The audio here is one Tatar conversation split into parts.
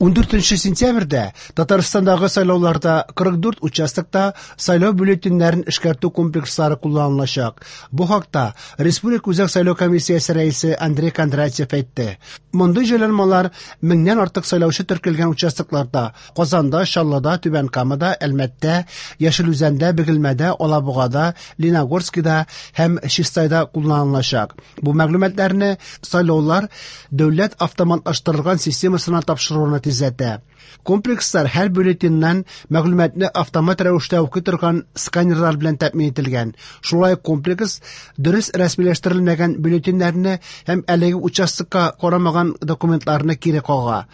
14 сентябрьдә Татарстандагы сайлауларда 44 участокта сайлау бюллетеньнәрен эшкәртү комплекслары кулланылачак. Бу хакта Республика Үзәк сайлау комиссиясе рәисе Андрей Кондратьев әйтте. Мондый җайланмалар меңнән артык сайлаучы теркәлгән участокларда Казанда, Чаллыда, Түбән Камада, Әлмәттә, Яшел Үзәндә, Бөгелмәдә, Алабугада, Лениногорскида һәм Чистайда кулланылачак. Бу мәгълүматларны сайлаулар дәүләт автоматлаштырылган системасына тапшыруны тизләтә. Комплекслар һәр бюллетеньнән мәгълүматны автомат рәвештә укый торган сканерлар белән тәэмин ителгән. Шулай ук комплекс дөрес рәсмиләштерелмәгән бюллетеньнәрне һәм әлеге участокка карамаган документларны кире кага.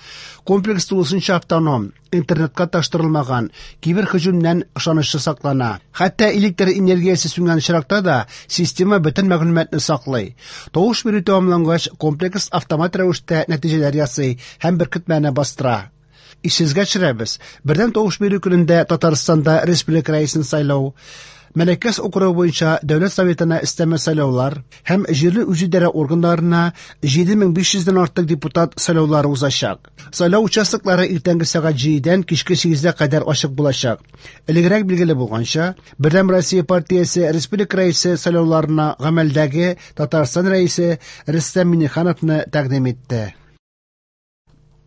Комплекс тулысынча автоном, интернетка тоташтырылмаган, киберһөҗүмнән ышанычлы саклана. Хәтта электр энергиясе сүнгән очракта да система бөтен мәгълүматны саклый. Тавыш бирү тәмамлангач, комплекс автомат рәвештә нәтиҗәләр ясый һәм беркетмәне бастыра. Исегезгә төшерәбез, бердәм тавыш бирү көнендә Татарстанда республика рәисен сайлау, Мәләкәс округы буенча Дәүләт Советына өстәмә сайлаулар һәм җирле үзидарә органнарына 7500 дән артык депутат сайлаулары узачак. Сайлау участоклары иртәнге сәгать 7-дән кичке 8-гә кадәр ачык булачак. Элегрәк билгеле булганча, Бердәм Россия партиясе республика рәисе сайлауларына гамәлдәге Татарстан рәисе Рөстәм Миңнехановны тәкъдим итте.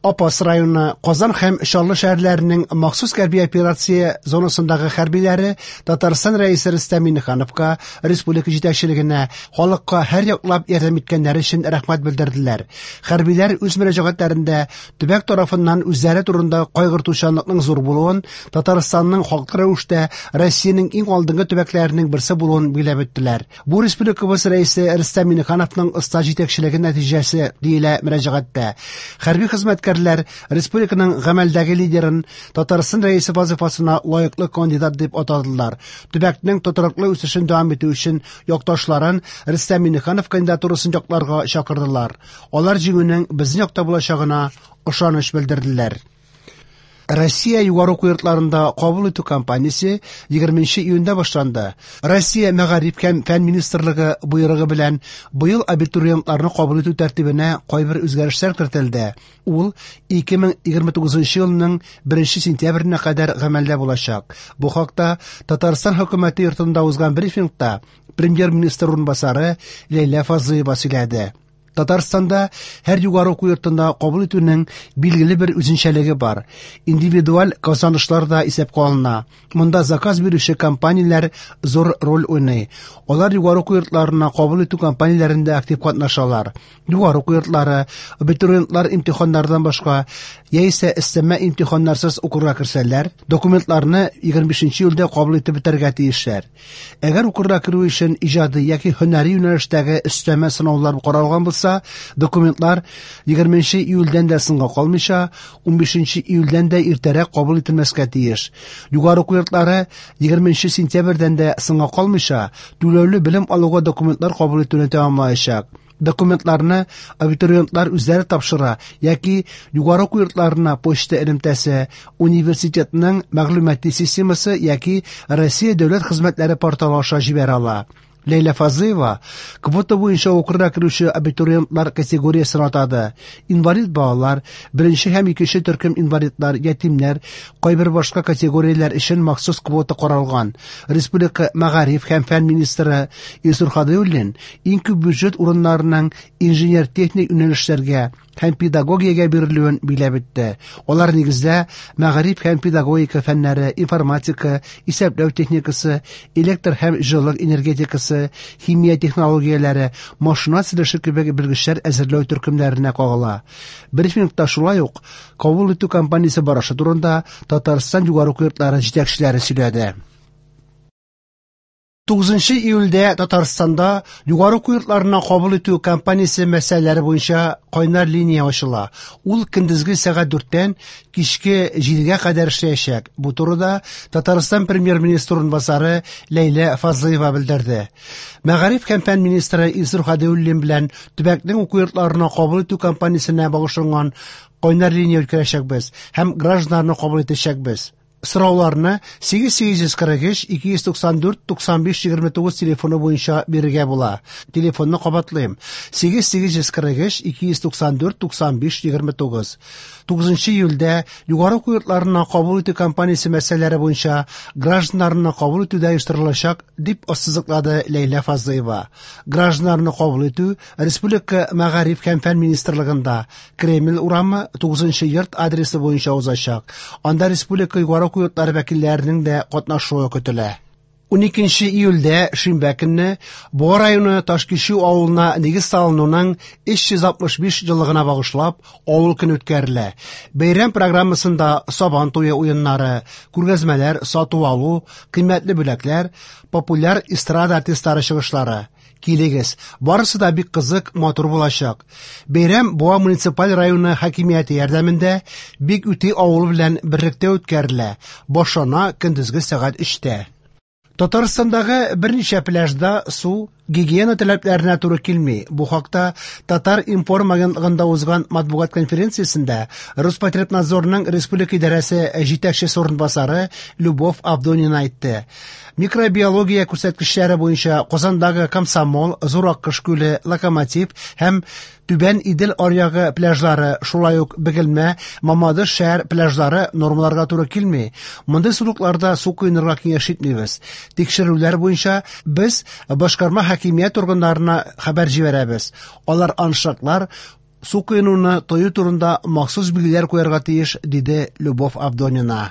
Апас районы, Казан һәм Чаллы шәһәрләренең махсус хәрби операция зонасындагы хәрбиләре Татарстан Рәисе Рөстәм Миңнехановка, республика җитәкчелегенә, халыкка һәр яклап ярдәм иткәннәре өчен рәхмәт белдерделәр. Хәрбиләр үз мөрәҗәгатьләрендә төбәк тарафыннан үзләре турында кайгыртучанлыкның зур булуын, Татарстанның хаклы рәвештә Россиянең иң алдынгы төбәкләренең берсе булуын билгеләп үттеләр. Бу республикабыз рәисе Рөстәм Миңнехановның оста җитәкчелеге нәтиҗәсе, диелә мөрәҗәгатьтә. Хәрби хезмәткәрләр республиканың гамәлдәге лидерын Татарстан рәисе вазыйфасына лаеклы кандидат дип атадылар. Төбәкнең тотрыклы үсешен дәвам итү өчен якташларын Рөстәм Миңнеханов кандидатурасын якларга чакырдылар. Алар җиңүнең безнең якта булачагына ышаныч белдерделәр. Россия югары уку йортларында кабул итү кампаниясе 20 июньдә башланды. Россия Мәгариф һәм фән министрлыгы боерыгы белән быел абитуриентларны кабул итү тәртибенә кайбер үзгәрешләр кертелде. Ул 2029 елның 1 сентябренә кадәр гамәлдә булачак. Бу хакта Татарстан хөкүмәте йортында узган брифингта премьер-министр урынбасары Ләйлә Фазлыева сөйләде. Татарстанда һәр югары уку йортында кабул итүнең билгеле бер үзенчәлеге бар. Индивидуаль казанышлар да исәпкә алына. Монда заказ бирүче компанияләр зур роль уйный. Алар югары уку йортларына кабул итү кампанияләрендә актив катнашалар. Югары уку йортлары абитуриентлар имтиханнардан башка яисә өстәмә имтиханнарсыз укырга керсәләр, документларны 25 июльдә кабул итеп бетерергә тиешләр. Әгәр укырга керү өчен иҗади яки һөнәри юнәлештәге өстәмә сынаулар каралган булса, документлар 20 июльдән дә соңга калмыйча, 15 июльдән дә иртәрәк кабул ителмәскә тиеш. Югары уку йортлары 20 сентябрьдән дә соңга калмыйча, түләүле белем алуга документлар кабул итүне тәмамлаячак. Документларны абитуриентлар үзләре тапшыра яки югары уку йортларына почта элемтәсе, университетның мәгълүмати системасы яки Россия дәүләт хезмәтләре порталы аша җибәрә ала. Ләйлә Фазлыева квота буенча укырга керүче абитуриентлар категориясен атады. Инвалид балалар, беренче һәм икенче төркем инвалидлар, ятимнәр, кайбер башка категорияләр өчен махсус квота каралган. Республика мәгариф һәм фән министры Илсур Һадиуллин иң күп бюджет урыннарының инженер-техник юнәлешләргә һәм педагогиягә бирелүен билгеләп үтте. Алар нигездә мәгариф һәм педагогика фәннәре, информатика, исәпләү техникасы, электр һәм җылылык энергетикасы, химия технологияләре, машина төзелеше кебек белгечләр әзерләү төркемнәренә кагыла. Брифингта шулай ук кабул итү кампаниясе барышы турында Татарстан югары уку йортлары җитәкчеләре сөйләде. 9 июльдә Татарстанда югары уку йортларына кабул итү кампаниясе мәсьәләләре буенча кайнар линия ачыла. Ул көндезге сәгать 4-тән кичке 7-гә кадәр эшләячәк. Бу турыда Татарстан премьер-министры урынбасары Ләйлә Фазлыева белдерде. Мәгариф һәм фән министры Илсур Һадиуллин белән төбәкнең уку йортларына кабул итү кампаниясенә багышланган кайнар линия үткәрәчәкбез һәм гражданнарны кабул итәчәкбез. Сорауларны 8843 294 95 29 телефоны буенча бирергә була. Телефонны кабатлыйм: 8843 294 95 29. 9 июльдә югары уку йортларына кабул итү кампаниясе мәсьәләләре буенча гражданнарны кабул итү дә оештырылачак, дип ассызыклады Ләйлә Фазлыева. Гражданнарны кабул итү Республика Мәгариф һәм фән министрлыгында Кремль урамы 9 йорт адресы буенча узачак. Анда республика югары уку йортлары вәкилләренең дә катнашуы көтелә. 12 июльдә шимбә көнне Буа районы Ташкичү авылына нигез салынуның 365 еллыгына багышлап авыл көне үткәрелә. Бәйрәм программасында Сабан туе уеннары, күргәзмәләр, сату-алу, кыйммәтле бүләкләр, популяр эстрада артистлары чыгышлары. Килегез, барысы да бик кызык, матур булачак. Бәйрәм Буа муниципаль районы хакимияте ярдәмендә Бик Үти авылы белән берлектә үткәрелә. Башлана көндезге сәгать 3-тә. Татарстандагы берничә пляжда су гигиена таләпләренә туры килми. Бу хакта Татар-информ агентлыгында узган матбугат конференциясендә Роспотребнадзорның республика идарәсе җитәкчесе урынбасары Любовь Авдонина әйтте. Микробиология күрсәткечләре буенча Казандагы Комсомол, Зур Аккош күле, Локомотив һәм Түбән Идел аръягы пляжлары, шулай ук Бөгелмә, Мамадыш шәһәр пляжлары нормаларга туры килми. Мондый сулыкларда су коенырга киңәш итмибез. Тикшерүләр буенча без башкарма хакимият органнарына хәбәр җибәрәбез. Алар аншлаглар, су коенуны тыю турында махсус билгеләр куярга тиеш, диде Любовь Авдонина.